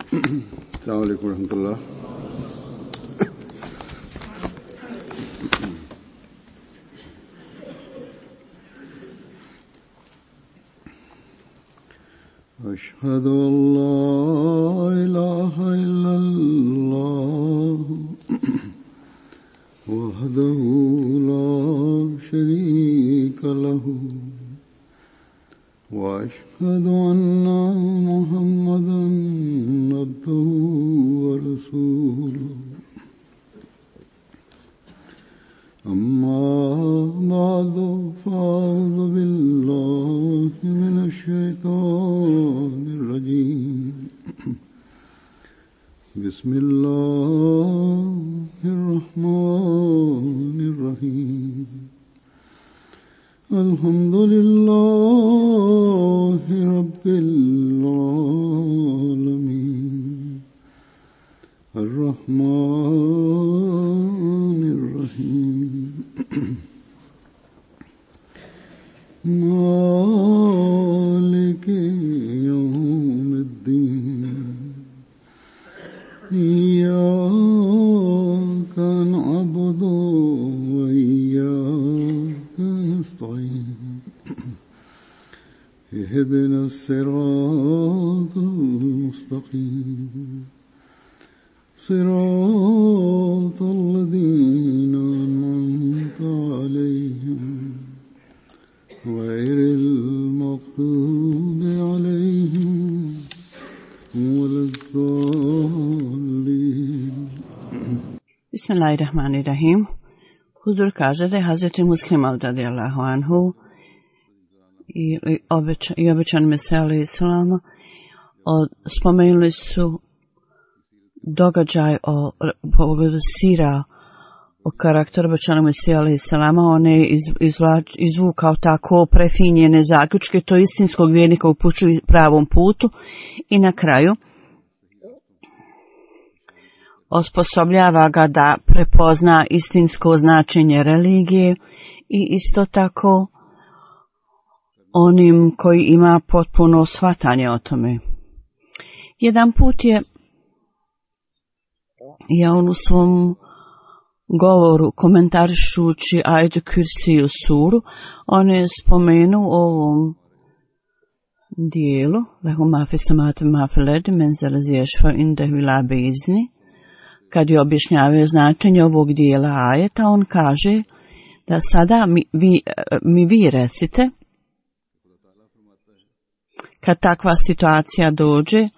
السلام عليكم ورحمة الله. أشهد أن لا إله إلا الله وحده لا شريك له وأشهد أن محمدا عبده ورسوله أما بعد فأعوذ بالله من الشيطان الرجيم بسم الله الرحمن الرحيم الحمد لله رب العالمين الرحمن الرحيم مالك يوم الدين إياك نعبد وإياك نستعين اهدنا الصراط المستقيم صراط الذين أنعمت عليهم غير المغضوب عليهم ولا الضالين. Bismillahirrahmanirrahim. Huzur kaže da je Hazreti Muslim radijallahu anhu i obećan Mesija alejhi selam spomenuli su događaj o pogledu sira o karakteru obećanog Mesija alejhi selama. On je izvukao tako prefinjene zaključke, to istinskog vjernika upućuju pravom putu i na kraju osposobljava ga da prepozna istinsko značenje religije i isto tako onim koji ima potpuno shvatanje o tome. Jedan put je on u svom govoru komentarišući ajetu Kursiju suru, on je spomenuo u ovom dijelu lehu ma fi samawati ma fil ardi men zal ladzi yashfa'u indahu illa bi'izni. Kad je objašnjavao značenje ovog dijela ajeta, on kaže da sada vi recite, kad takva situacija dođe,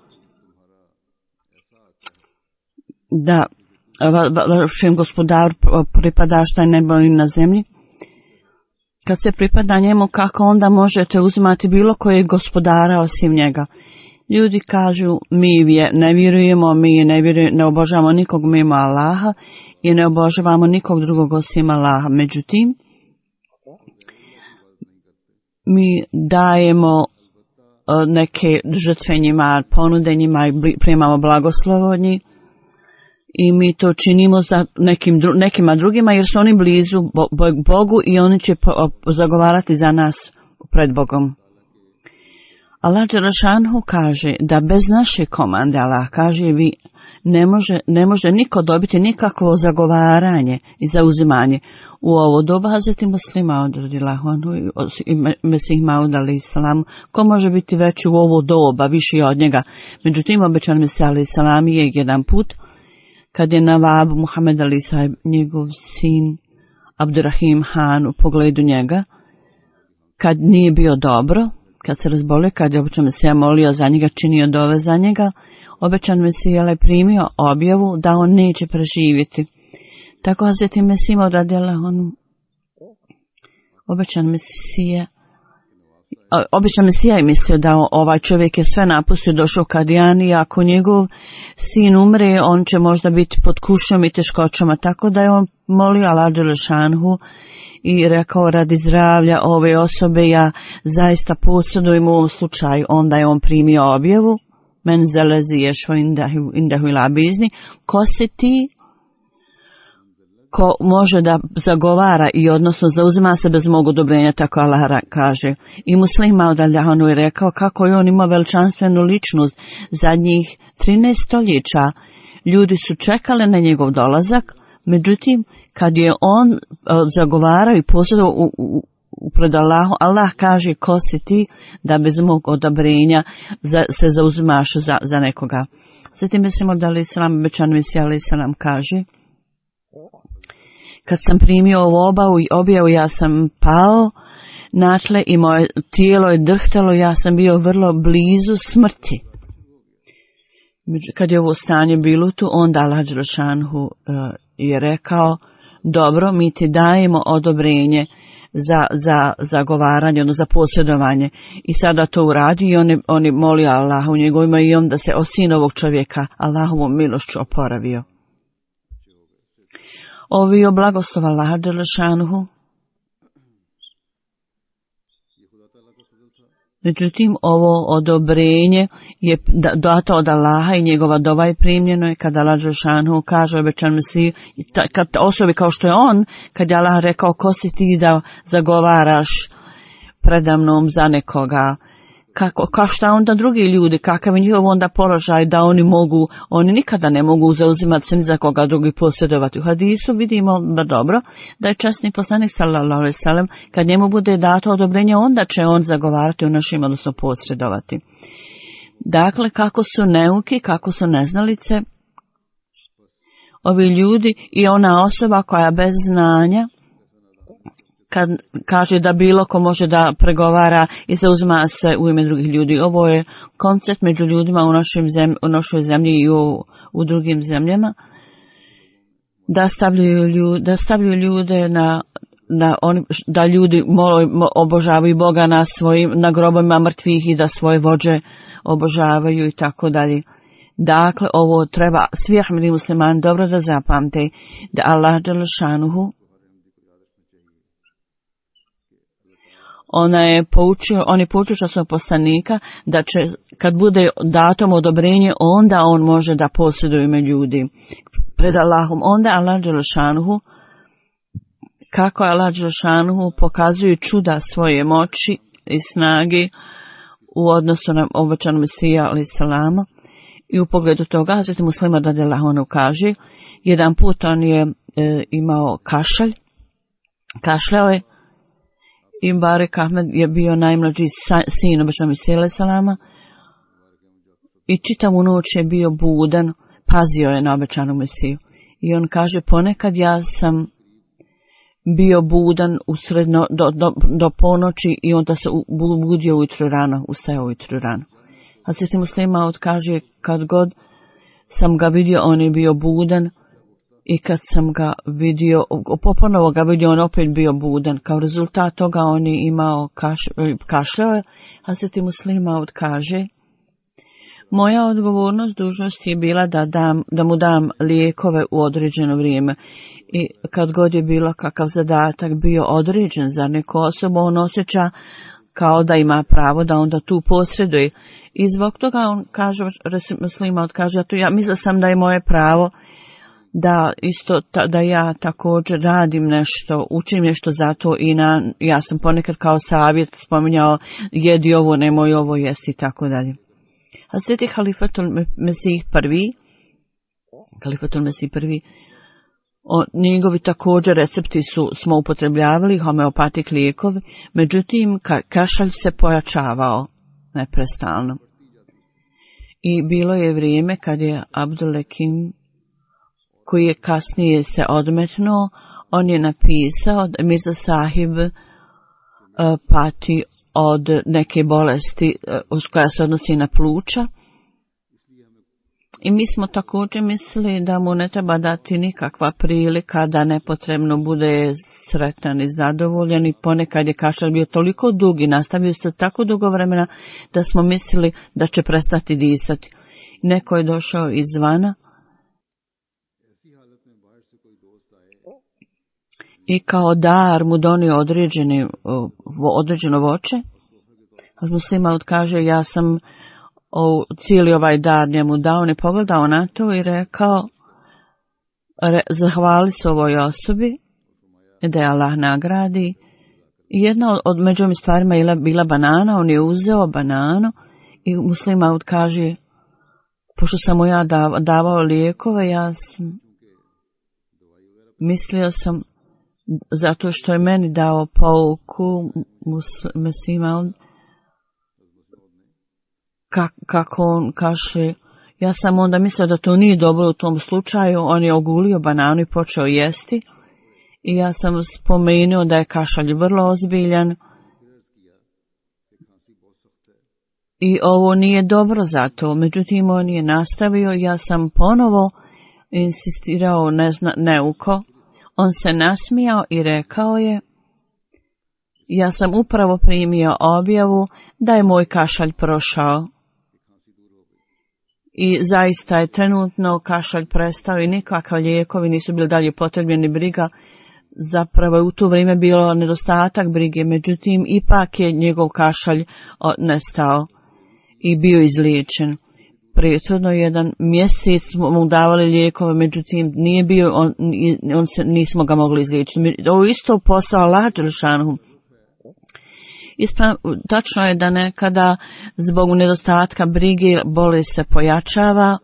da vašem gospodaru pripada šta je nebo i na zemlji, kad se pripada njemu, kako onda možete uzimati bilo kojeg gospodara osim njega? Ljudi kažu, mi ne vjerujemo, ne obožavamo nikog mimo Allaha i ne obožavamo nikog drugog osim Allaha. Međutim, mi dajemo neke žrtve njima, ponude njima i primamo blagoslovo od njih i mi to činimo za nekima drugima jer su oni blizu Bogu i oni će zagovarati za nas pred Bogom. Allah dželešanu kaže da bez naše komande, Allah kaže, vi ne može niko dobiti nikakvo zagovaranje i zauzimanje. U ovo doba Hazreti Muslima radijallahu anhu i Mesih Maud alejhi selam, ko može biti veći u ovo doba, viši od njega? Međutim, obećan Mesih alejhi selam je jedan put, kad je Navab Muhammed Ali Sahib, njegov sin Abdurrahim Han, u pogledu njega, kad nije bio dobro, kad se razbolio, kad je obećan Mesija molio za njega, činio dove za njega, obećan Mesija je primio objavu da on neće preživjeti. Tako Hazreti Mesih Maud radijallahu anhu, obećan Mesija je mislio da ovaj čovjek je sve napustio, došao Kadijan i ako njegov sin umre, on će možda biti pod kušnjom i teškoćama. Tako da je on molio Allah dželešanu i rekao, radi zdravlja ove osobe ja zaista posredujem u ovom slučaju. Onda je on primio objavu, men zalazi yashfa indahu ila bizni, ko se ti ko može da zagovara i odnosno zauzima se bez mog odobrenja, tako Allah kaže. I Muslim Maud al-Jahanu je rekao kako je on imao veličanstvenu ličnost. Zadnjih 13 stoljeća ljudi su čekali na njegov dolazak, međutim kad je on zagovarao i posjedovao pred Allahom, Allah kaže ko si ti da bez mog odobrenja se zauzimaš za nekoga. Zatim mislimo da li Islam obećan Mesija ali Islam kaže: kad sam primio ovu objavu, ja sam pao na tle i moje tijelo je drhtalo, ja sam bio vrlo blizu smrti. Kad je ovo stanje bilo tu, onda Allah dželešanu je rekao: dobro, mi ti dajemo odobrenje za zagovaranje, za posjedovanje. I sada to uradi i oni moli Allah u njegovima i on da se o sin ovog čovjeka Allahovom milošću oporavio. Ovi o blagoslova Allaha dželešanuhu. Međutim, ovo odobrenje je dato od Allaha i njegova dova je primljeno je kada Allah dželešanuhu kaže obećan Mesiju, kad osobi kao što je on, kad je Allah rekao ko si ti da zagovaraš predamnom za nekoga, kao šta onda drugi ljudi, kakav je njihov onda položaj da oni nikada ne mogu zauzimati se ni za koga drugi posjedovati. U hadisu vidimo dobro da je časni poslanik sallallahu alejhi ve sellem kad njemu bude dato odobrenje, onda će on zagovarati u našim, odnosno posredovati. Dakle, kako su neuki, kako su neznalice ovi ljudi i ona osoba koja bez znanja kad kaže da bilo ko može da pregovara i zauzima se u ime drugih ljudi. Ovo je koncept među ljudima u našoj zemlji i u drugim zemljama. Da stavljaju ljude da ljudi obožavaju Boga na grobovima mrtvih i da svoje vođe obožavaju i tako dalje. Dakle, ovo treba svi ahmedi muslimani dobro da zapamte da Allah dželešanuhu on je poučio časnog poslanika da će, kad bude datom odobrenje, onda on može da posjeduje ime ljudi pred Allahom. Onda Allah dželešanuhu, kako Allah dželešanuhu pokazuje čuda svoje moći i snage u odnosu na obećanog Mesija alejhi selama. I u pogledu toga, zatim Muslima radijallahu anhu kaže, jedan put on je imao kašljao je, i Barek Ahmed je bio najmlađi sin obećanog Mesija alejhi selama i čitavu noć je bio budan, pazio je na obećanog Mesiju. I on kaže, ponekad ja sam bio budan do ponoći i onda se budio ujutro rano, ustajao ujutro rano. A Sveti Muslim Maud kaže, kad god sam ga vidio, on je bio budan i kad sam ga vidio, ponovo ga vidio, on opet bio budan. Kao rezultat toga on je imao kašljao, a Sveti Muslim Maud kaže, moja odgovornost, dužnost je bila da mu dam lijekove u određeno vrijeme. I kad god je bilo kakav zadatak bio određen za neku osobu, on osjeća kao da ima pravo da onda tu posreduje. I zbog toga on kaže, Muslim Maud kaže, ja mislila sam da je moje pravo da ja također radim nešto, učim nešto za to i ja sam ponekad kao savjet spominjao, jedi ovo, nemoj ovo jesti i tako dalje. A Sveti Halifatul Mesih prvi, njegovi također recepti smo upotrebljavali, homeopatik lijekovi, međutim kašalj se pojačavao neprestalno. I bilo je vrijeme kad je Abdul-Lekim, koji je kasnije se odmetnuo, on je napisao da Mirza Sahib pati od neke bolesti koja se odnosi na pluća. I mi smo također mislili da mu ne treba dati nikakva prilika da nepotrebno bude sretan i zadovoljan, i ponekad je kašalj bio toliko dug i nastavio se tako dugo vremena da smo mislili da će prestati disati. Neko je došao izvana i kao dar mu donio određeno voće. Muslim Maud kaže, ja sam cijeli ovaj dar njemu dao, on je pogledao na to i rekao, zahvali se ovoj osobi, da je Allah nagradi. Jedna od među ovim stvarima je bila banana, on je uzeo bananu i Muslim Maud kaže, pošto sam mu ja davao lijekove, ja sam mislio sam, zato što je meni dao pouku Muslim Maud, kako on kaže, ja sam onda mislio da to nije dobro u tom slučaju, on je ogulio bananu i počeo jesti i ja sam spomenuo da je kašalj vrlo ozbiljan i ovo nije dobro za to. Međutim, on je nastavio, ja sam ponovo insistirao neuko, on se nasmijao i rekao je, ja sam upravo primio objavu da je moj kašalj prošao. I zaista je trenutno kašalj prestao i nikakvi lijekovi nisu bili dalje potrebni, briga. Zapravo je u to vrijeme bilo nedostatak brige, međutim ipak je njegov kašalj nestao i bio izliječen. Prethodno jedan mjesec smo mu davali lijekove, međutim nije bio, nismo ga mogli izliječiti. Ovo isto posao Allah dželešanu. Tačno je da nekada zbog nedostatka brige bolest se pojačava,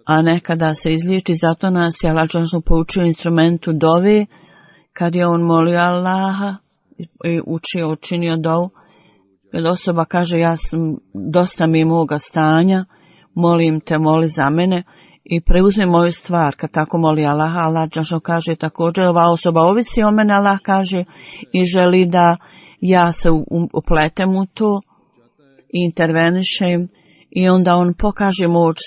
a nekada se izliječi. Zato nas je Allah dželešanu poučio instrumentu dove, kad je on molio Allaha i učinio dovu. Kad osoba kaže, ja sam, dosta mi moga stanja, molim te, moli za mene i preuzmi moju stvar. Kad tako moli Allaha, Allah dželešanu kaže također, ova osoba ovisi o mene, Allah kaže, i želi da ja se upletem u to i intervenišem, i onda on pokaže moć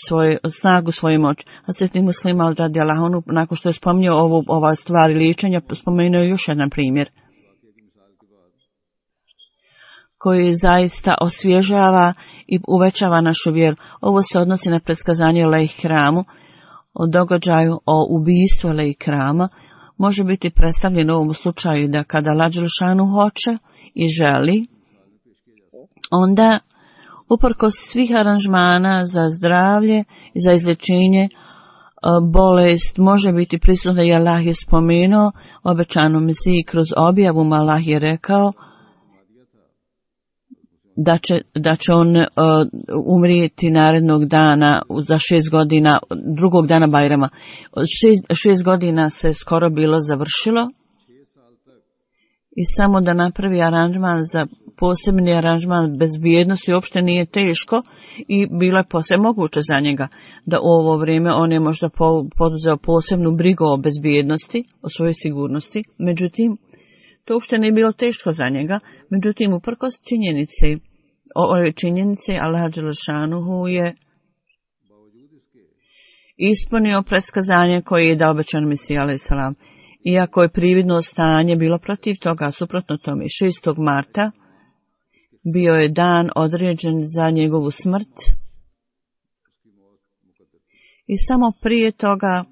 snagu svoje moći. A Sveti Muslim Maud radijallahu anhu, nakon što je spomenuo ova stvar liječenja, spomenuo još jedan primjer koji zaista osvježava i uvećava našu vjeru. Ovo se odnosi na predskazanje Lehikrama, o događaju o ubistvu Lehikrama. Može biti predstavljeno u ovom slučaju da kada Allah dželešanu hoće i želi, onda uprkos svih aranžmana za zdravlje i za izlječenje, bolest može biti prisutna. I Allah je spomenuo obećanu Mesiji kroz objavu, Allah je rekao da će on umrijeti narednog dana za 6 godina, drugog dana Bajrama. 6 godina se skoro bilo završilo i samo da napravi aranžman za posebni aranžman bezbjednosti uopšte nije teško i bilo je posebno moguće za njega da u ovo vrijeme on je možda poduzeo posebnu brigu o bezbjednosti, o svojoj sigurnosti. Međutim, to uopšte nije bilo teško za njega. Međutim, uprkos ove činjenice, Allah dželešanu je ispunio predskazanje koje je dao obećan Mesija alejhi selam. Iako je prividno stanje bilo protiv toga, suprotno tome, 6. marta bio je dan određen za njegovu smrt i samo prije toga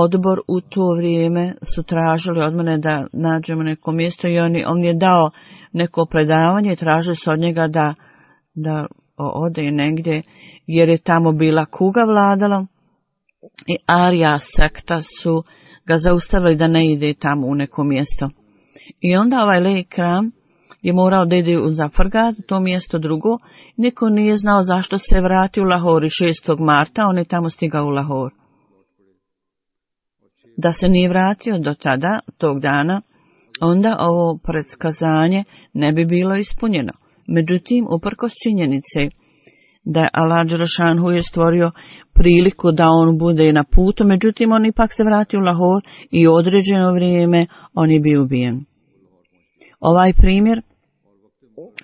odbor u to vrijeme su tražili od mene da nađemo neko mjesto i on je dao neko predavanje i tražili su od njega da ode negdje, jer je tamo bila kuga vladala i Arija sekta su ga zaustavili da ne ide tamo u neko mjesto. I onda ovaj Lehikrama je morao da ide u Zafargad, to mjesto drugo. Niko nije znao zašto se vratio u Lahor 6. marta, on je tamo stigao u Lahor. Da se nije vratio do tada, tog dana, onda ovo predskazanje ne bi bilo ispunjeno. Međutim, uprkos činjenice da je Allah dželešanu je stvorio priliku da on bude na putu, međutim on ipak se vratio u Lahor i u određeno vrijeme on je bio ubijen. Ovaj primjer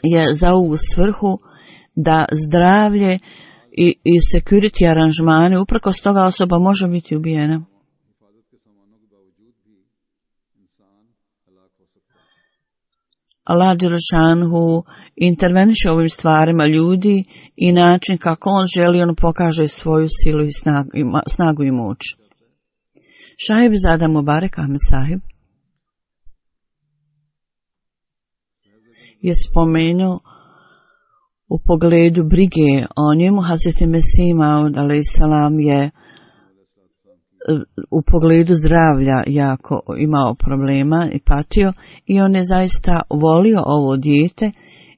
je za ovu svrhu da zdravlje i security aranžmane, uprkos toga osoba može biti ubijena. Allah dželešanu interveniše ovim stvarima ljudi i način kako on želi, on pokaže svoju silu i snagu i moć. Šahib Zada Mubarak Ahmed Sahib je spomenuo u pogledu brige o njemu. Hazreti Mesih Maud alejsalam je u pogledu zdravlja jako imao problema i patio i on je zaista volio ovo dijete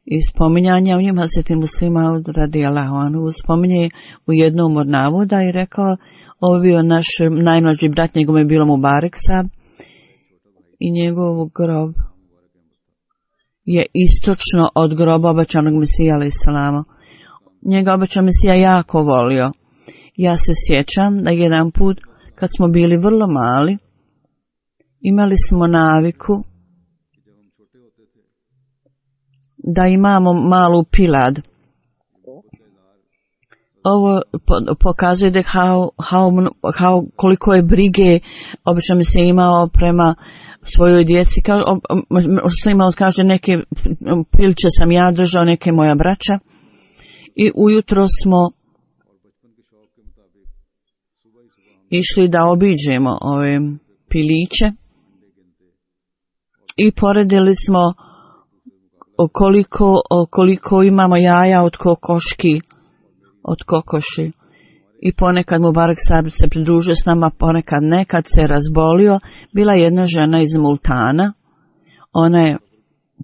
i spominjanja u njemu. Hazreti Muslim Maud radijallahu anhu spominje u jednom od navoda i rekao, ovo bio naš najmlađi brat, njegov je bilo Mubarek Sab i njegov grob je istočno od groba obećanog Mesija alejselama. Njega obećan Mesija jako volio. Ja se sjećam da jedan put kad smo bili vrlo mali, imali smo naviku da imamo malu pilad. Ovo pokazuje da koliko je brige obično mi se imao prema svojoj djeci. Slima kaže, neke pilče sam ja držao, neke moja braća. I ujutro smo išli da obiđemo ove piliće i poredili smo koliko imamo jaja od kokoši. I ponekad Mubarek Sab se pridružio s nama, ponekad ne. Kad se razbolio, bila jedna žena iz Multana. Ona je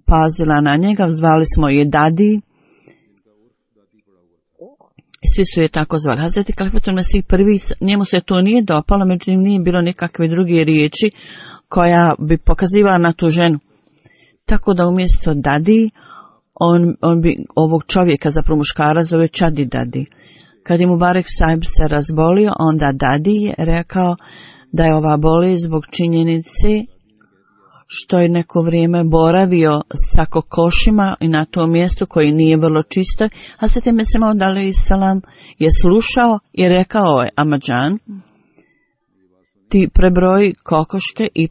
pazila na njega, zvali smo je Dadi. I svi su je tako zvali. Hazreti Kalifatul Mesih prvi, njemu se to nije dopalo, međutim nije bilo nikakve druge riječi koja bi pokazivala na tu ženu. Tako da umjesto Dadi, on bi ovog čovjeka, zapravo muškara, zove Čadi Dadi. Kad je Mubarek Sahib se razbolio, onda Dadi je rekao da je ova bolest zbog činjenice što je neko vrijeme boravio sa kokošima i na tom mjestu koji nije vrlo čisto. Hazreti Mesih Maud alejsalam je slušao i rekao je Amadžan, ti prebroji kokoške i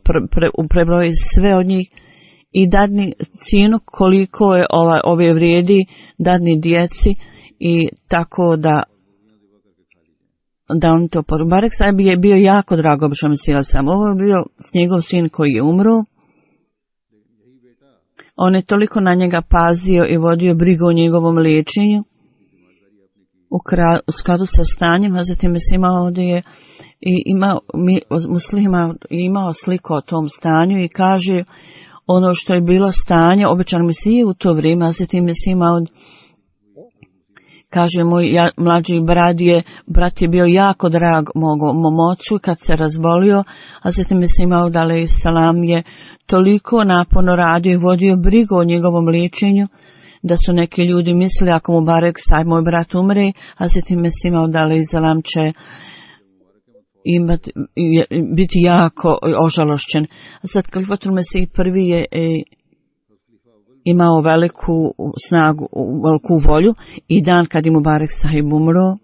prebroji sve od njih i dadni cijenu koliko je ove vrijedi, dadni djeci i tako da on to poručio. Mubarek Sahib je bio jako drago obično Mesih sam. Ovo je bio njegov sin koji je umro. On je toliko na njega pazio i vodio brigu o njegovom liječenju. U skladu sa stanjem, a zatim Mesih Maud je imao sliku o tom stanju i kaže ono što je bilo stanje, obećan Mesije u to vrijeme, a zatim Mesih Maud kaže, moj mlađi brat je bio jako drag mom ocu kad se razbolio, a zatim Mesih Maud alejsalam je toliko naporno radio i vodio brigu o njegovom liječenju, da su neki ljudi mislili ako Mubarek Sahib, moj brat, umre, a zatim Mesih Maud alejsalam će biti jako ožalošćen. A sad Kalifatul Mesih prvi je imao veliku snagu, veliku volju i dan kad je Mubarek Sahib umro,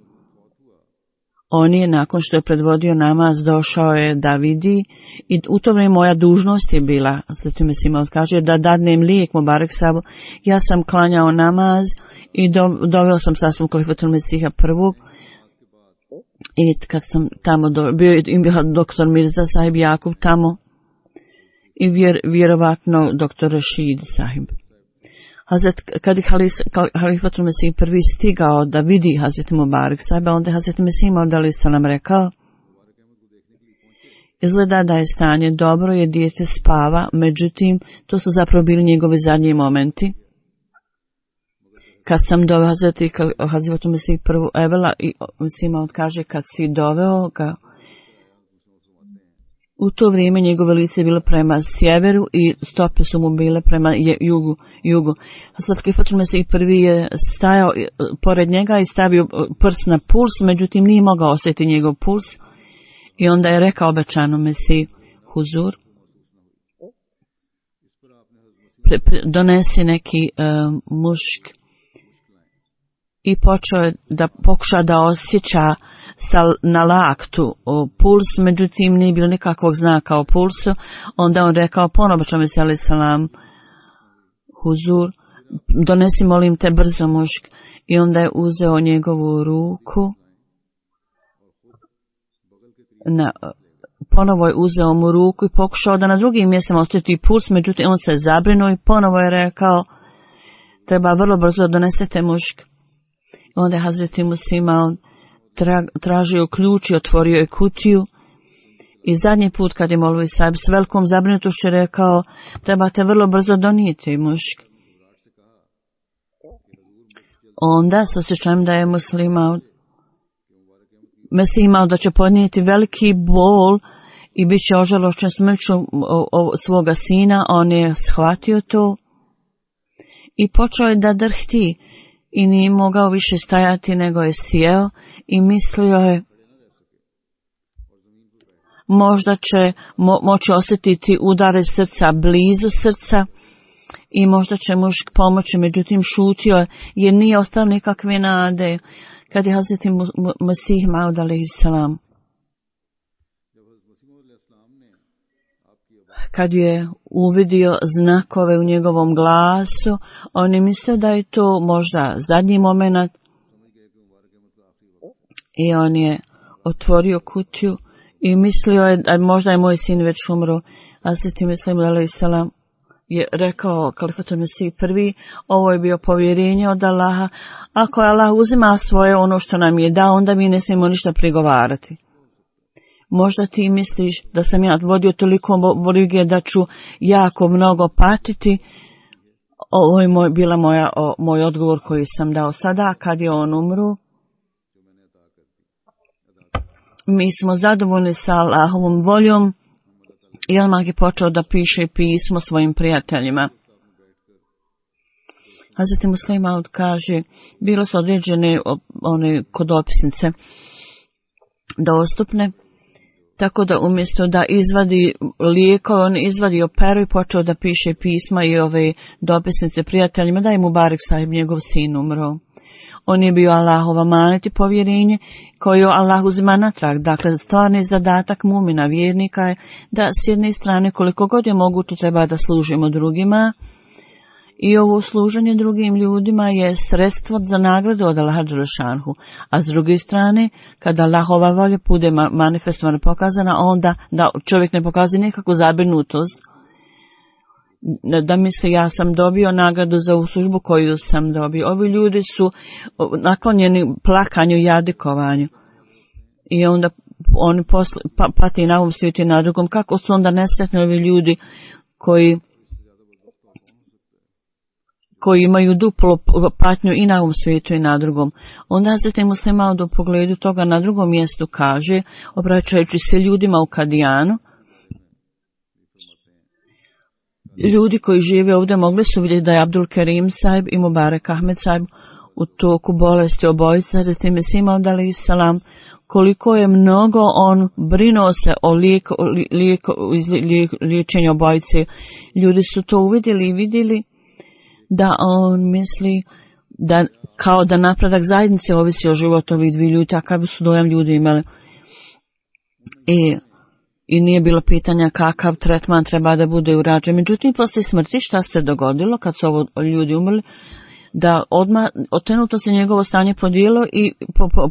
on je nakon što je predvodio namaz došao je da vidi i u to vrijeme moja dužnost je bila, zatim Mesih Maud kaže, da dadnem lijek Mubarek Sahibu. Ja sam klanjao namaz i doveo sam sasvom Kalifatul Mesiha prvog i kad sam tamo bio je doktor Mirza Sahib Jakub tamo i vjerovatno doktor Rashid Sahib. Kad je Kalifatul Mesih prvi stigao da vidi Hazreti Mubarek Sahiba, onda je Hazreti Mesih Maud alejsalam rekao, izgleda da je stanje dobro jer dijete spava, međutim to su zapravo bili njegovi zadnji momenti. Kad sam doveo Hazreti Mesih prvu Evela i Mesih Maud kaže kad si doveo ga, u to vrijeme njegove lice je bilo prema sjeveru i stope su mu bile prema jugu. Sad Kalifatul Mesih prvi je stajao pored njega i stavio prst na puls, međutim nije mogao osjetiti njegov puls i onda je rekao obećanom Mesih huzur, donesi neki mušk i počeo je da pokuša da osjeća na laktu puls, međutim nije bilo nikakvog znaka o pulsu. Onda on rekao ponovo Mesih alejsalam huzur, donesi molim te brzo mušk, i onda je uzeo njegovu ruku, ponovo je uzeo mu ruku i pokušao da na drugim mjestima osjeti puls, međutim on se zabrinuo i ponovo je rekao treba vrlo brzo donesete mušk. Onda je Hazreti Musima tražio ključ i otvorio je kutiju. I zadnji put kad je Molvi Sahib s velikom zabrinutošću rekao, trebate vrlo brzo donijeti mušk. Onda s osjećajem da je Mesih imao da će podnijeti veliki bol i bit će ožalošćen smrću svoga sina, on je shvatio to i počeo je da drhti i nije mogao više stajati, nego je sjeo i mislio je možda će moći osjetiti udare srca blizu srca i možda će mušk pomoći, međutim šutio je jer nije ostao nikakve nade. Kad je Hazreti Mesih Maud alejhiselam, kad je uvidio znakove u njegovom glasu, on je mislio da je to možda zadnji moment i on je otvorio kutiju i mislio je da možda je moj sin već umro. Hazreti Mesih Maud alejhiselam je rekao Kalifatul Mesih prvi, ovo je bio povjerenje od Allaha. Ako je Allah uzima svoje ono što nam je dao, onda mi ne smijemo ništa prigovarati. Možda ti misliš da sam ja vodio toliko brige da ću jako mnogo patiti. Ovo je bila moj odgovor koji sam dao sada kad je on umru. Mi smo zadovoljni sa Allahovom voljom. I odmah je počeo da piše pismo svojim prijateljima. Hazreti Muslih Maud kaže, bilo su određene one kodopisnice dostupne, tako da umjesto da izvadi lijekove, on izvadio peru i počeo da piše pisma i ove dopisnice prijateljima, da je Mubarek Sahib, njegov sin, umro. On je bio Allahova manet i povjerenje koju Allah uzima natrag. Dakle, stvarni zadatak mumina, vjernika je da s jedne strane koliko god je moguće treba da služimo drugima i ovo služenje drugim ljudima je sredstvo za nagradu od Allaha dželešanhu. A s druge strane, kada Allahova volja bude manifestovana, pokazana, onda da čovjek ne pokazuje nikakvu zabrinutost, da misli ja sam dobio nagradu za ovu službu koju sam dobio. Ovi ljudi su naklonjeni plakanju i jadikovanju. I onda oni pati na ovom svijetu i na drugom. Kako su onda nesretni ovi ljudi koji imaju duplo patnju i na ovom svijetu i na drugom. Onda Hazreti Muslih Maud u pogledu toga na drugom mjestu kaže, obraćajući se ljudima u Kadijanu, ljudi koji žive ovdje mogli su vidjeti da je Abdul Kerim Sahib i Mubarek Ahmed Sahib u toku bolesti obojica. Hazreti Mesih Maud alejhiselam, koliko je mnogo on brinuo se o liječenju obojice. Ljudi su to uvidjeli i vidjeli da on misli da kao da napredak zajednice ovisi o životu ovih dvije ljudi, takav su dojam ljudi imali. I nije bilo pitanja kakav tretman treba da bude urađen. Međutim, poslije smrti šta se dogodilo kad su ovo ljudi umrli, da odmah otenuto se njegovo stanje podijelo i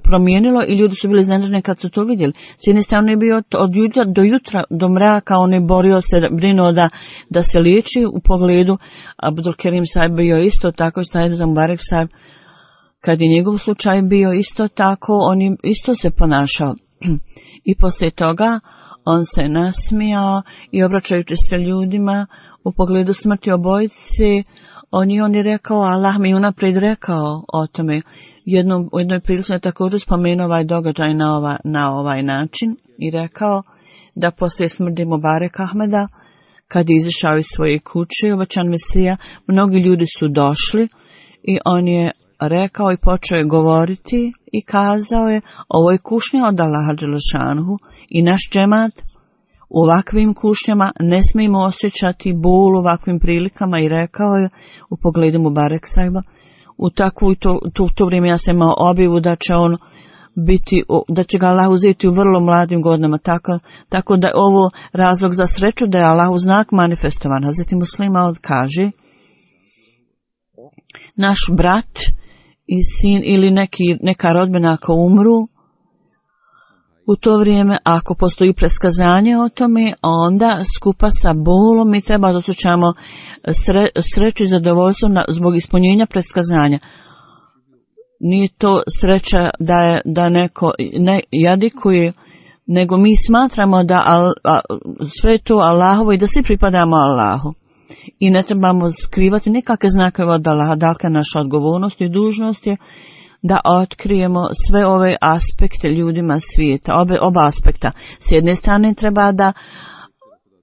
promijenilo i ljudi su bili iznenađeni kad su to vidjeli. S jedne strane je bio od jutra do jutra, do mraka, on je borio se, brinuo da se liječi u pogledu. Abdul Kerim Sahib bio isto tako, Sahib za Mubarek Sahib, kad je njegov slučaj bio isto tako, on je isto se ponašao. I poslije toga on se nasmijao i obraćajući se ljudima u pogledu smrti obojice, on je rekao, Allah mi unaprijed rekao o tome. U jednoj prilici je također spomenuo ovaj događaj na ovaj način i rekao da poslije smrti Mubarek Ahmeda, kad je izašao iz svoje kuće, obećan Mesija, mnogi ljudi su došli i on je rekao i počeo je govoriti i kazao je, ovo je kušnja od Allaha dželešanhu i naš džemat u ovakvim kušnjama ne smijemo osjećati bol u ovakvim prilikama. I rekao je u pogledu Mubarek Sahiba, u to vrijeme ja sam imao objavu da će on biti, da će ga Allah uzeti u vrlo mladim godinama, tako da je ovo razlog za sreću da je Allah u znak manifestovan. Hazreti Muslih Maud kaže, naš brat i sin ili neka rodbina ako umru, U to vrijeme, ako postoji preskazanje o tome, onda skupa sa bolom mi treba da osjećamo sreću i zadovoljstvo zbog ispunjenja preskazanja. Nije to sreća da neko ne jadikuje, nego mi smatramo da sve to Allahovo i da svi pripadamo Allahu. I ne trebamo skrivati nikakve znakove od Allaha. Dakle, naša odgovornost i dužnost je da otkrijemo sve ove aspekte ljudima svijeta, oba aspekta. S jedne strane treba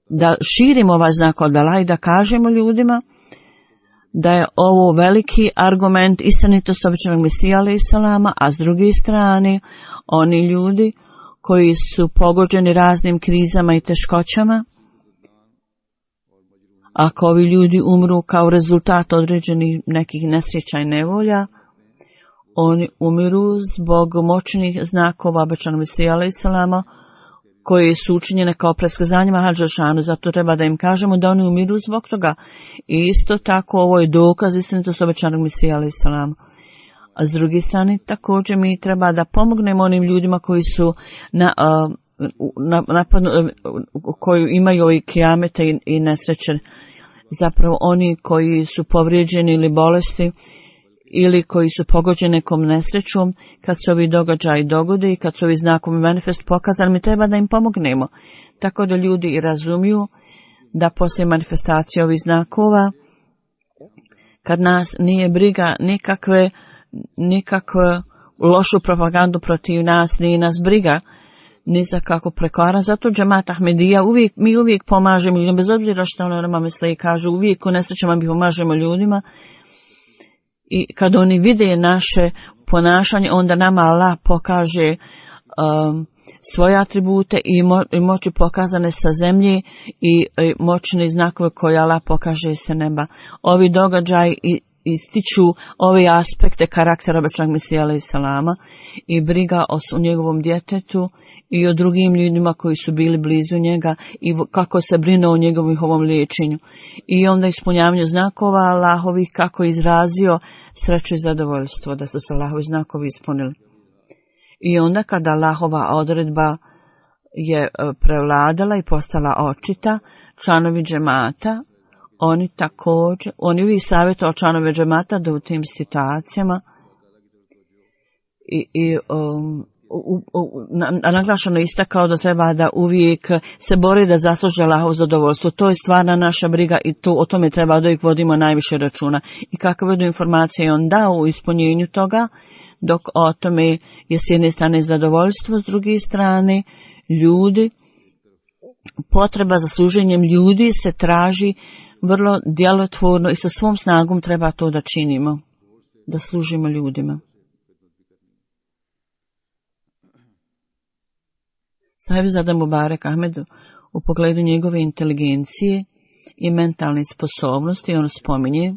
da širimo ovaj znak od Allaha i da kažemo ljudima da je ovo veliki argument istinitosti obećanog Mesija alejhi selama, a s druge strane oni ljudi koji su pogođeni raznim krizama i teškoćama, ako ovi ljudi umru kao rezultat određenih nekih nesreća i nevolja, oni umiru zbog moćnih znakova obećanog Mesija alejhi selama koji su učinjene kao predskazanjima Hadžešanu, zato treba da im kažemo da oni umiru zbog toga. I isto tako ovo je dokaz istinitosti obećanog Mesija alejhi selama. A s druge strane također mi treba da pomognemo onim ljudima koji su koji imaju ovi kijamete i nesreće. Zapravo oni koji su povrijeđeni ili bolesti ili koji su pogođeni nekom nesrećom, kad se ovi događaji dogode i kad su ovi znakovi manifest pokazani, mi treba da im pomognemo. Tako da ljudi i razumiju da poslije manifestacije ovih znakova, kad nas nije briga nikakve lošu propagandu protiv nas, nije nas briga ni za kako prekoran. Zato džemat Ahmedija mi uvijek pomažemo ljudima, bez obzira što ono misle i kažu, uvijek u nesrećama mi pomažemo ljudima. I kad oni vide naše ponašanje, onda nama Allah pokaže svoje atribute i moći pokazane sa zemlje i moćne znakove koje Allah pokaže sa neba. Ovi događaji ističu ove aspekte karaktera obećanog Mesija alejhi selama i briga o njegovom djetetu i o drugim ljudima koji su bili blizu njega i kako se brine o njegovom liječenju. I onda ispunjavanje znakova Allahovih, kako je izrazio sreću i zadovoljstvo da su se Allahovi znakovi ispunili. I onda kada Allahova odredba je prevladala i postala očita, članovi džemata, oni uvijek savjetuju članove džemata da u tim situacijama naglašeno istakao da treba da uvijek se bori da zasluže Allahovo zadovoljstvo. To je stvarna naša briga i o tome treba da uvijek vodimo najviše računa. I kakve budu informacije on dao u ispunjenju toga, dok o tome je s jedne strane zadovoljstvo, s druge strane ljudi, potreba za služenjem ljudi se traži vrlo djelotvorno i sa svom snagom treba to da činimo, da služimo ljudima. Sahibzada Mubarek Ahmed u pogledu njegove inteligencije i mentalne sposobnosti on spominje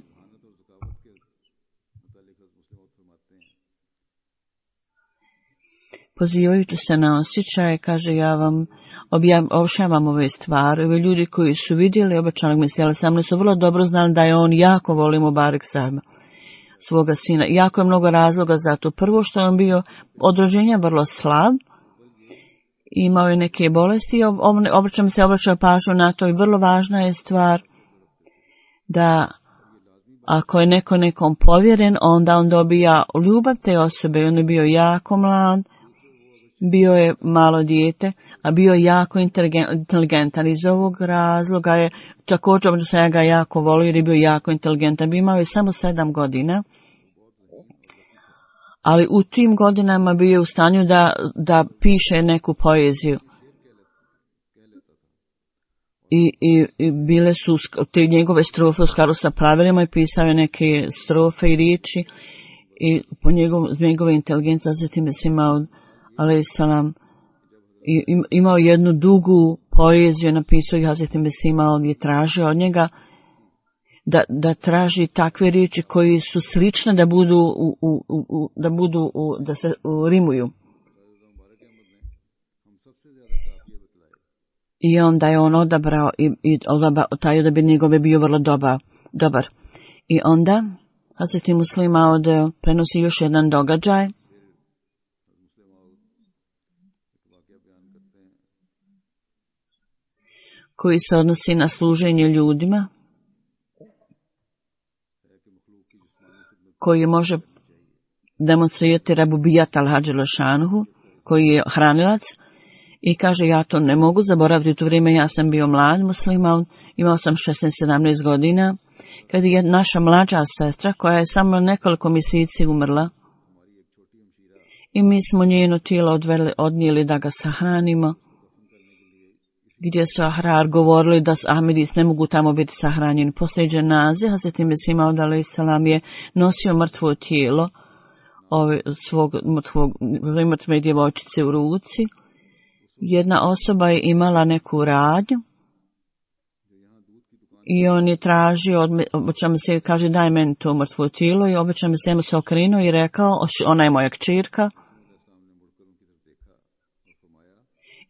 pozivajući se na osjećaje, kaže, ja vam objašnjavam ove stvari. Ovi ljudi koji su vidjeli obećanog Mesija alejhi selama su vrlo dobro znali da je on jako voli Mubarek Sahiba, svoga sina. Jako je mnogo razloga za to. Prvo što je on bio od rođenja vrlo slab, imao je neke bolesti i obraćao pažnju na to i vrlo važna je stvar da ako je neko nekom povjeren, onda on dobija ljubav te osobe. On je bio jako mlad, bio je malo dijete, a bio je jako inteligentan. Iz ovog razloga je također da sam ja ga jako volio jer je bio jako inteligentan. Imao je samo 7 godina, ali u tim godinama bio je u stanju da piše neku poeziju. I bile su te njegove strofe u skladu sa pravilima i pisao je neke strofe i riječi i po njegove inteligencije zatim je Mesija alejhi selam imao jednu dugu poeziju, napisao i Hazreti Mesija je tražio od njega da traži takve riječi koji su slične da se rimuju. I onda je on odabrao i taj odabir njegove bio vrlo dobar. I onda Hazreti Muslima prenosi još jedan događaj. koji se odnosi na služenje ljudima, koji može demonstrirati Rabubijat al-Hadž al-Šanuhu, koji je hranilac, i kaže, ja to ne mogu zaboraviti. U to vrijeme ja sam bio mlad musliman, imao sam 16-17 godina, kad je naša mlađa sestra, koja je samo nekoliko mjeseci umrla, i mi smo njeno tijelo odnijeli da ga sahranimo, gdje su Ahrar govorili da Ahmedis ne mogu tamo biti sahranjeni. Poslije dženaze, Hazret Mesih Maud alejselam je nosio mrtvo tijelo svog mrtve djevojčice u ruci. Jedna osoba je imala neku radnju i on je tražio, obećam se, kaže, daj meni to mrtvo tijelo, i obećam se okrenuo i rekao, ona je moja kćerka.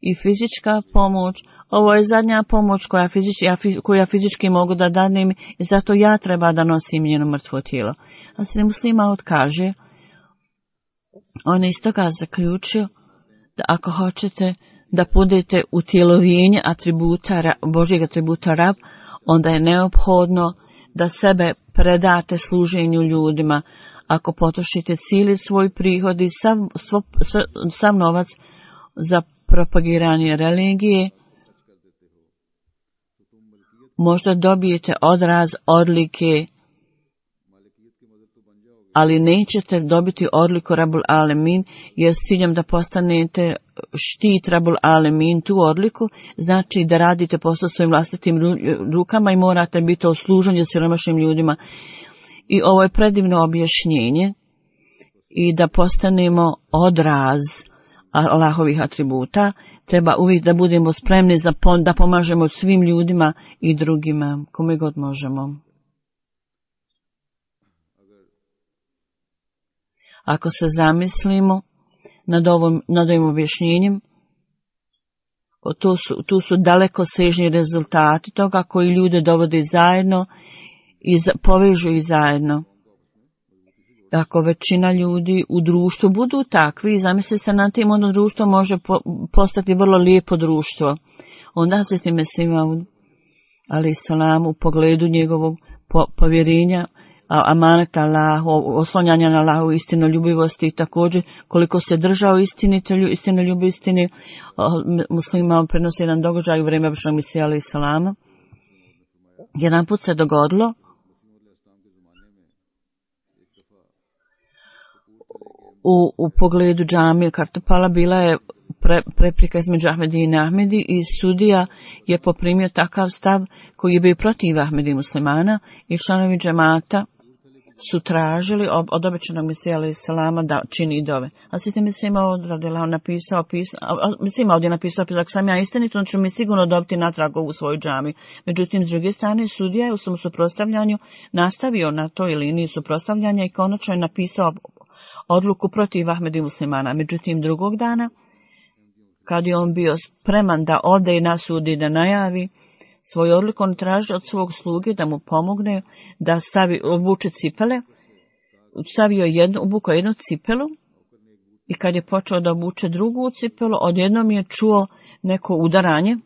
I fizička pomoć, ovo je zadnja pomoć koju ja fizički mogu da danem, i zato ja treba da nosim njeno mrtvo tijelo. A se muslima kaže, on je iz toga zaključio da ako hoćete da budete utjelovljenje atributa, Božjeg atributa Rab, onda je neophodno da sebe predate služenju ljudima. Ako potrošite cijeli svoj prihod i sav novac za propagiranje religije, možda dobijete odraz odlike, ali nećete dobiti odliku Rabul Alemin, jer s ciljem da postanete štit Rabul Alemin, tu odliku, znači da radite posao svojim vlastitim rukama i morate biti u služenju siromašnim ljudima. I ovo je predivno objašnjenje, i da postanemo odraz Allahovih atributa, treba uvijek da budemo spremni da pomažemo svim ljudima i drugima, kome god možemo. Ako se zamislimo nad ovim objašnjenjem, tu su dalekosežni rezultati toga koji ljude dovode zajedno i povežu ih zajedno. Ako većina ljudi u društvu budu takvi, zamisli se na tim, ono društvo može postati vrlo lijepo društvo. Onda se time svima, ali salam, u pogledu njegovog povjerenja, amaneta Allahu, oslonjanja na Allahu, istinoljubivosti, i također koliko se držao istinoljubiv istini, muslima prenosi jedan događaj u vrijeme Običnog Mesija alejhi salama. Jedan put se dogodilo u pogledu džamije Kartopala, bila je prepreka između Ahmedi i Ahmedi, i sudija je poprimio takav stav koji je bio protiv Ahmedi muslimana, i članovi džemata su tražili od Običnog Mesija alejhi salama da čini dove. A Sveti Mesih Maud napisao, ako sam ja istinit, on će mi sigurno dobiti natrag ovu svoju džamiju. Međutim, s druge strane, sudija je u svom suprotstavljanju nastavio na toj liniji suprotstavljanja i konačno je napisao odluku protiv Ahmedi muslimana. Međutim, drugog dana, kad je on bio spreman da ode i na sud i da najavi svoju odluku, on traži od svog sluge da mu pomogne da obuče cipele. Obukao jednu cipelu, i kad je počeo da obuče drugu cipelu, odjednom je čuo neko udaranje.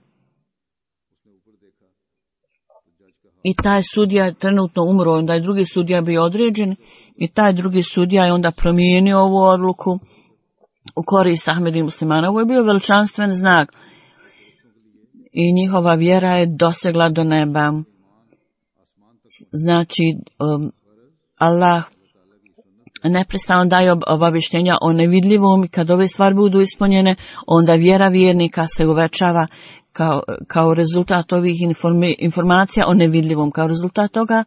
I taj sudija je trenutno umro, onda je drugi sudija bio određen, i taj drugi sudija je onda promijenio ovu odluku u korist Ahmedi muslimana. Ovo je bio veličanstven znak i njihova vjera je dosegla do neba. Znači, Allah neprestano daje obavještenja o nevidljivom, i kad ove stvari budu ispunjene, onda vjera vjernika se uvećava kao rezultat ovih informacija o nevidljivom. Kao rezultat toga,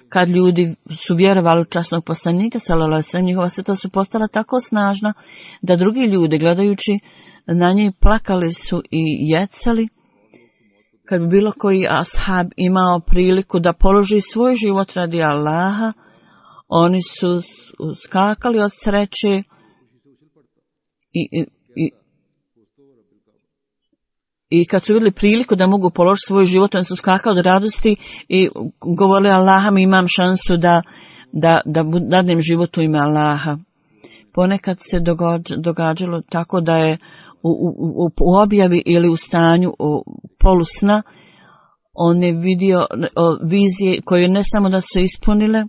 kad ljudi su vjerovali u časnog poslanika, sallallahu alejhi ve sellem, njihova srca su postala tako snažna da drugi ljudi, gledajući na njih, plakali su i jecali. Kad bi bilo koji ashab imao priliku da položi svoj život radi Allaha, oni su skakali od sreće i kad su vidjeli priliku da mogu položiti svoj život, oni su skakali od radosti i govorili: Allaha, mi imam šansu da dadnem život u ime Allaha. Ponekad se događalo tako da je u objavi ili u stanju polusna On je vidio vizije koje ne samo da su ispunile,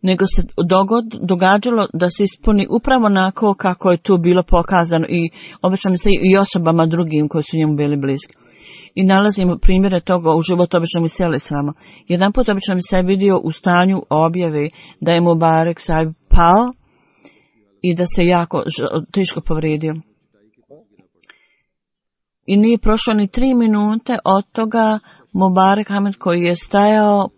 nego se događalo da se ispuni upravo onako kako je tu bilo pokazano i obično se i osobama drugim koji su njemu bili bliski. I nalazimo primjere toga u životu obično mi seli samo. Jedan put obično mi se vidio u stanju objave da je Mubarak Sahib pao i da se jako teško povrijedio. I nije prošlo ni 3 minute od toga Mubarak Ahmed koji je stajao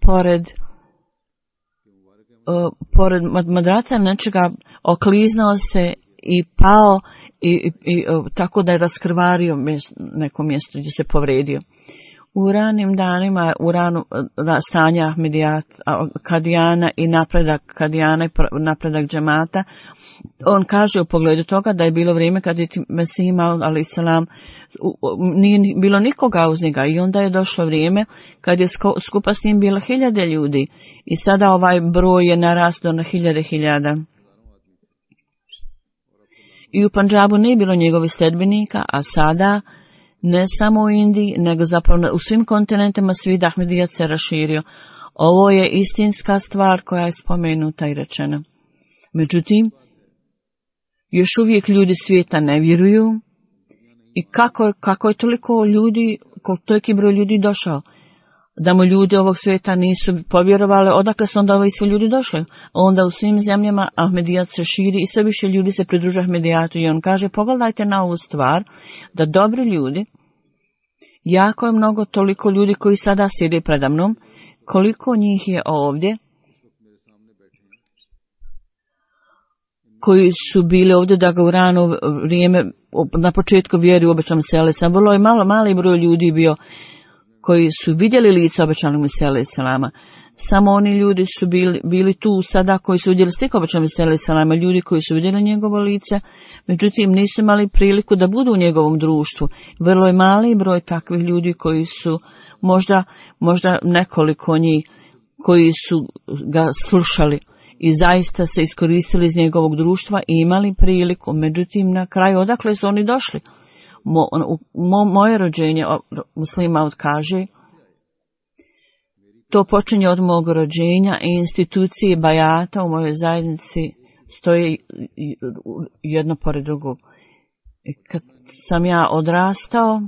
pored madraca nečega, okliznuo se i pao i tako da je raskrvario neko mjesto gdje se povrijedio. U ranim danima, u ranu stanja Ahmedijat, Kadijana i napredak Kadijana i napredak džemata, on kaže u pogledu toga da je bilo vrijeme kad je Mesih Maud a.s. nije bilo nikoga uz njega i onda je došlo vrijeme kad je skupa s njim bilo 1000 ljudi i sada ovaj broj je narastao na 1000. I u Pandžabu nije bilo njegovih sledbenika, a sada ne samo u Indiji, nego zapravo u svim kontinentima svijet Ahmedijat se raširio. Ovo je istinska stvar koja je spomenuta i rečena. Međutim, još uvijek ljudi svijeta ne vjeruju i kako je toliko ljudi, toliki broj ljudi došao, da mu ljudi ovog svijeta nisu povjerovali, odakle su onda ovi svi ljudi došli. Onda u svim zemljama Ahmedijat se širi i sve više ljudi se pridružuje Ahmedijatu i on kaže, pogledajte na ovu stvar, da dobri ljudi, jako je mnogo toliko ljudi koji sada sjede preda mnom, koliko njih je ovdje, koji su bili ovdje da ga u rano vrijeme, na početku vjeri u obećanom selu, sam vrlo je mali broj ljudi bio koji su vidjeli lice obećanog Mesija selama. Samo oni ljudi su bili tu sada koji su vidjeli sliku obećanog Mesija selama, ljudi koji su vidjeli njegovo lice, međutim nisu imali priliku da budu u njegovom društvu. Vrlo je mali broj takvih ljudi koji su možda nekoliko njih koji su ga slušali i zaista se iskoristili iz njegovog društva i imali priliku. Međutim, na kraju odakle su oni došli? Moje rođenje, Muslim Maud kaže, to počinje od mog rođenja i institucije Bajata u mojoj zajednici stoje jedno pored drugog. Kad sam ja odrastao,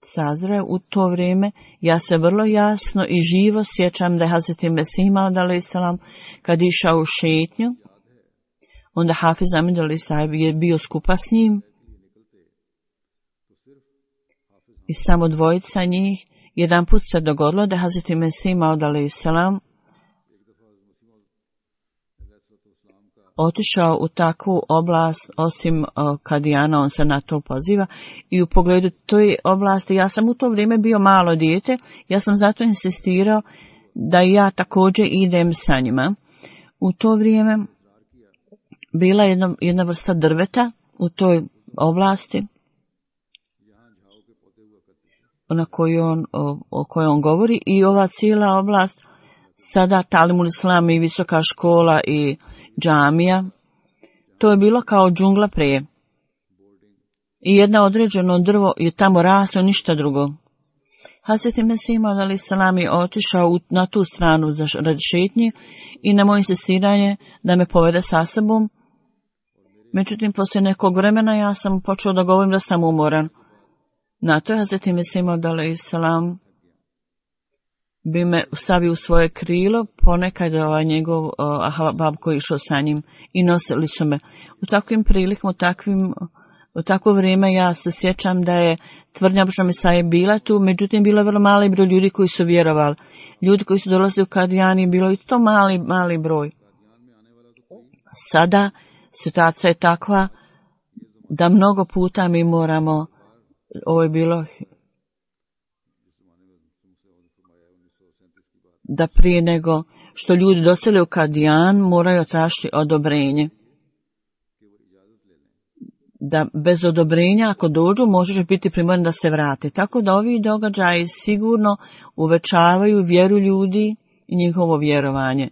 sazreo u to vrijeme, ja se vrlo jasno i živo sjećam da je Hazreti Mesih Maud a.s. kad je išao u šetnju, onda Hafiz Ahmed Ali Sahib je bio skupa s njim i samo dvojica njih. Jedan put se dogodilo da Hazreti Mesih Maud a.s. otišao u takvu oblast, osim Kadijana, on se na to poziva, i u pogledu toj oblasti, ja sam u to vrijeme bio malo dijete, ja sam zato insistirao da ja također idem sa njima. U to vrijeme bila jedna vrsta drveta u toj oblasti, o kojoj on govori, i ova cijela oblast, sada Talimul Islam i visoka škola i džamija, to je bilo kao džungla prije. I jedno određeno drvo je tamo raslo, ništa drugo. Hazreti Mesih Maud a.s. je otišao na tu stranu radi šetnje i na moje insistiranje da me povede sa sobom. Međutim, poslije nekog vremena ja sam počeo da govorim da sam umoran. Na to je Hazreti Mesih Maud a.s. bi me stavio u svoje krilo, ponekad njegov ahbab koji išao sa njim i nosili su me. U takvim prilikama, u takvo vrijeme ja se sjećam da je tvrdnja Božja Mesaje bila tu, međutim bilo je vrlo mali broj ljudi koji su vjerovali. Ljudi koji su dolazili u Kadijani, bilo je to mali broj. Sada situacija je takva da mnogo puta mi moramo, ovo je bilo da prije nego što ljudi dosele u Kadijan moraju tražiti odobrenje. Da bez odobrenja ako dođu možeš biti primoran da se vrate. Tako da ovi događaji sigurno uvećavaju vjeru ljudi i njihovo vjerovanje.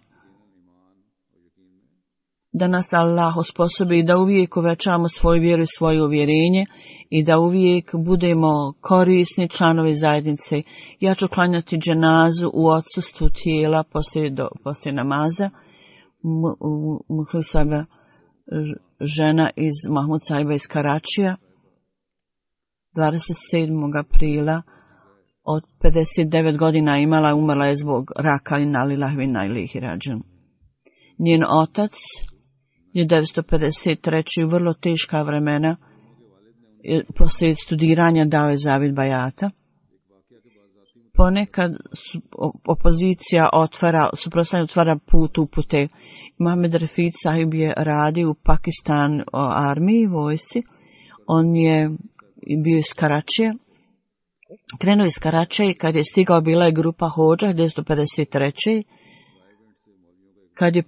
da nas Allah osposobi da uvijek uvećamo svoju vjeru i svoje uvjerenje i da uvijek budemo korisni članovi zajednice. Ja ću klanjati dženazu u odsustvu tijela poslije namaza. Muhlisaba, žena iz Mahmud Sahiba iz Karačija, 27. aprila, od 59 godina imala, umrla je zbog raka i nalillahi inna ilaihi rađiun. Njen otac 1953. u vrlo teška vremena poslije studiranja dao je zavid bajata. Ponekad opozicija suprotstavljanje otvara put upute. Mohamed Rafid Sahib je radio u Pakistan armiji, vojsci. On je bio iz Karačija. Krenuo iz Karačija i kad je stigao bila je grupa hođa 1953. Kad je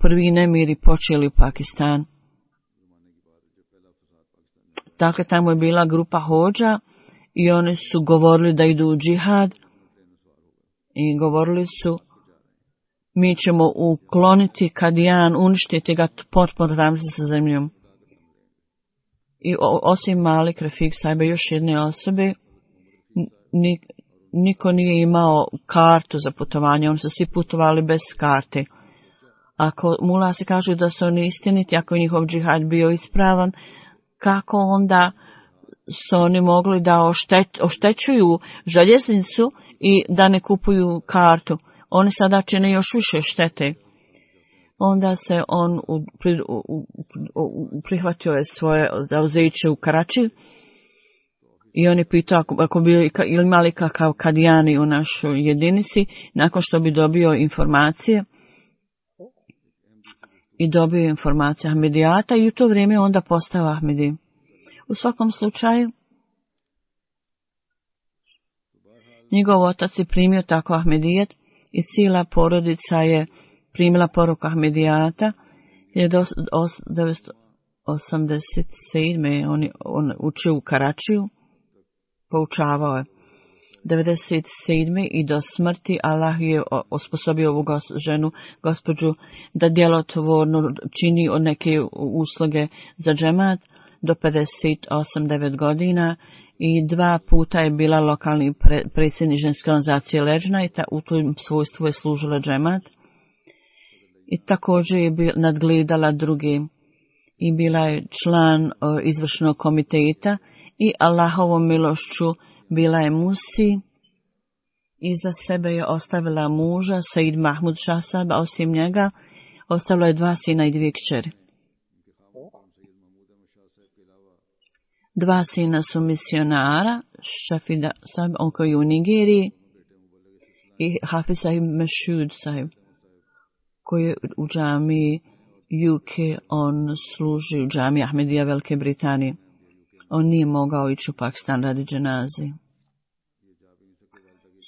prvi nemiri počeli u Pakistan. Dakle, tamo je bila grupa hođa i oni su govorili da idu u džihad i govorili su mi ćemo ukloniti Kadijan, uništiti ga potpuno ravnice sa zemljom. I osim Malik Rafik Sahiba još jedne osobe, niko nije imao kartu za putovanje, oni su svi putovali bez karte. Ako mulasi kažu da su oni istiniti, ako je njihov džihad bio ispravan, kako onda su oni mogli da oštećuju željeznicu i da ne kupuju kartu? Oni sada čine još više štete. Onda se on prihvatio je svoje zauzeće u Karači i on je pitao ako bi imali kakav kadijani u našoj jedinici, nakon što bi dobio informacije i dobio informacije Ahmedijata i u to vrijeme onda postao Ahmedi. U svakom slučaju, njegov otac je primio tako Ahmedijet i cijela porodica je primila poruku Ahmedijata. 1987. on učio u Karačiju, poučavao je. 1997. i do smrti Allah je osposobio ovu ženu, gospođu, da djelotvorno čini neke usluge za džemat do 58-9 godina i 2 puta je bila lokalni predsjednik ženske organizacije Leđna i u tom svojstvu je služila džemat. I također je nadgledala druge i bila je član izvršnog komiteta i Allahovom milošću bila je musi. Iza sebe je ostavila muža Said Mahmud Shahsab, a osim njega ostavila je 2 sina i 2 kćeri. 2 sina su misionara, Shafida Sahib, on koji je u Nigeriji, i Hafiz Sahib Mashud Sahib, koji je u džamiji UK, on služi u džamiji Ahmedija Velike Britanije. On nije mogao ići u Pakistan radi dženaze.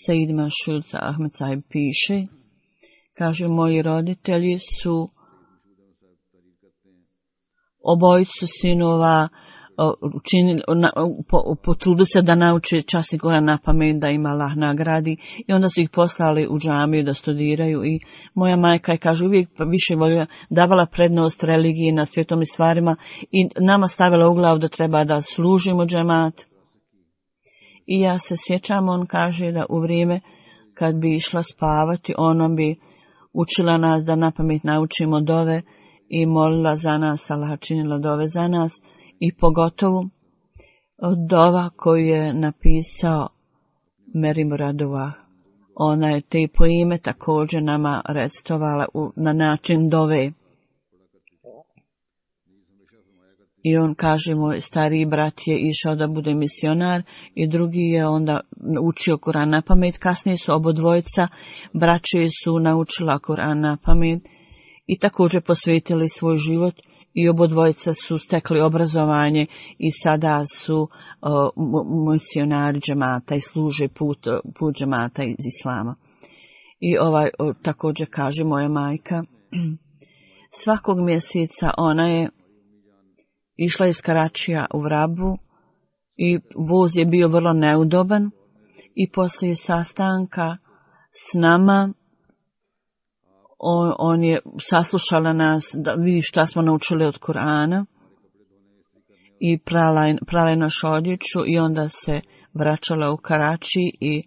Said Mashud Ahmed Sahib piše, kaže, moji roditelji su obojicu sinova potrudili se da nauče časni Kuran na pamet, da im Allah nagradi, i onda su ih poslali u džamiju da studiraju. I moja majka je, kaže, uvijek više davala prednost religiji na svjetom i stvarima i nama stavila u glavu da treba da služimo džemat. I ja se sjećam, on kaže da u vrijeme kad bi išla spavati, ona bi učila nas da na pamet naučimo dove i molila za nas, Allah činila dove za nas. I pogotovo dova koju je napisao Meri Muradova. Ona je te po ime također nama recitovala na način dove. I on kaže, moj stariji brat je išao da bude misionar i drugi je onda učio Kur'an na pamet. Kasnije su obodvojica braće su naučila Kur'an na pamet i također posvetili svoj život. I obodvojica su stekli obrazovanje i sada su misionari džemata i služe put džemata iz islama. I također kaže moja majka, svakog mjeseca ona je išla iz Karačija u Vrabu i voz je bio vrlo neudoban i poslije sastanka s nama on je saslušala nas da vidi šta smo naučili od Kur'ana i prala je našu odjeću i onda se vraćala u Karači i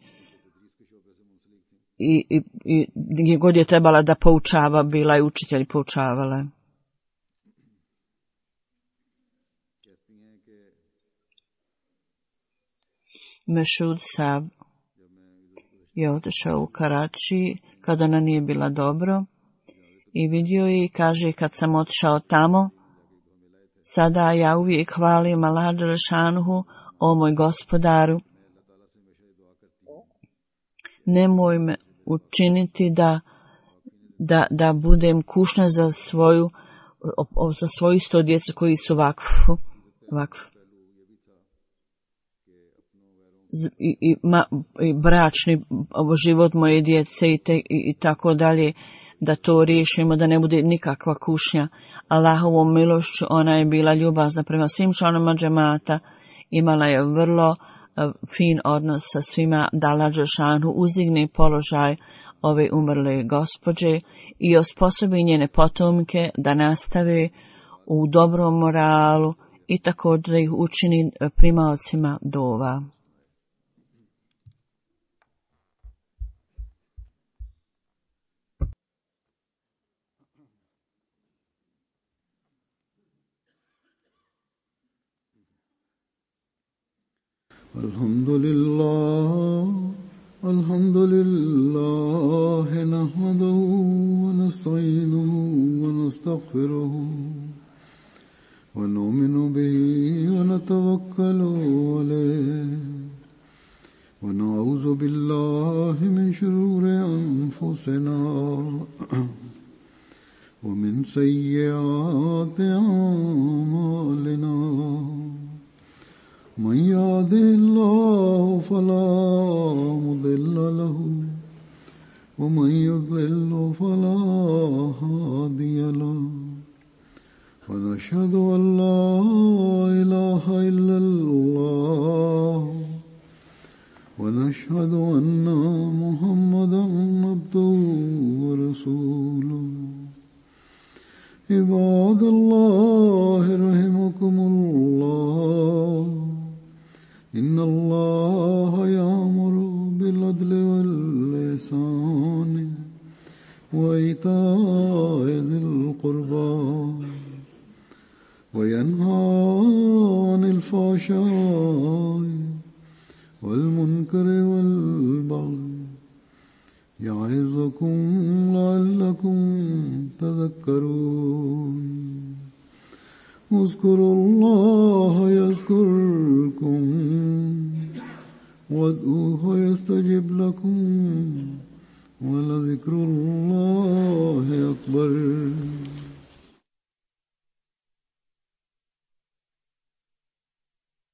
gdje god je trebala da poučava, bila je učitelj, poučavala. Mešud Sab je otišao u Karači kada ona nije bila dobro i vidio je i kaže, kad sam otišao tamo, sada ja uvijek hvalim Allah dželešanuhu, o moj gospodaru, nemoj me učiniti da budem kušnja za svoju isto djecu koji su vakf. I bračni život moje djece i tako dalje, da to riješimo, da ne bude nikakva kušnja. Allahovom milošću ona je bila ljubazna prema svim članovima džemata, imala je vrlo fin odnos sa svima, da Allah dželešanu uzdigne položaj ove umrle gospođe i osposobi njene potomke da nastave u dobrom moralu i također da ih učini primaocima dova. الحمد لله نحمده ونستعينه ونستغفره ونؤمن به ونتوكل عليه ونعوذ بالله من شرور أنفسنا ومن سيئات أعمالنا من يهده الله فلا مضل له ومن يضلل فلا هادي له ونشهد أن لا إله إلا الله ونشهد أن محمدا عبده ورسوله عباد الله رحمكم الله إن الله يأمر بالعدل والإحسان وإيتاء ذي القربى وينهى عن الفحشاء والمنكر والبغي يعظكم لعلكم تذكرون اذكروا الله يذكركم وادعوه يستجب لكم ولذكر الله أكبر.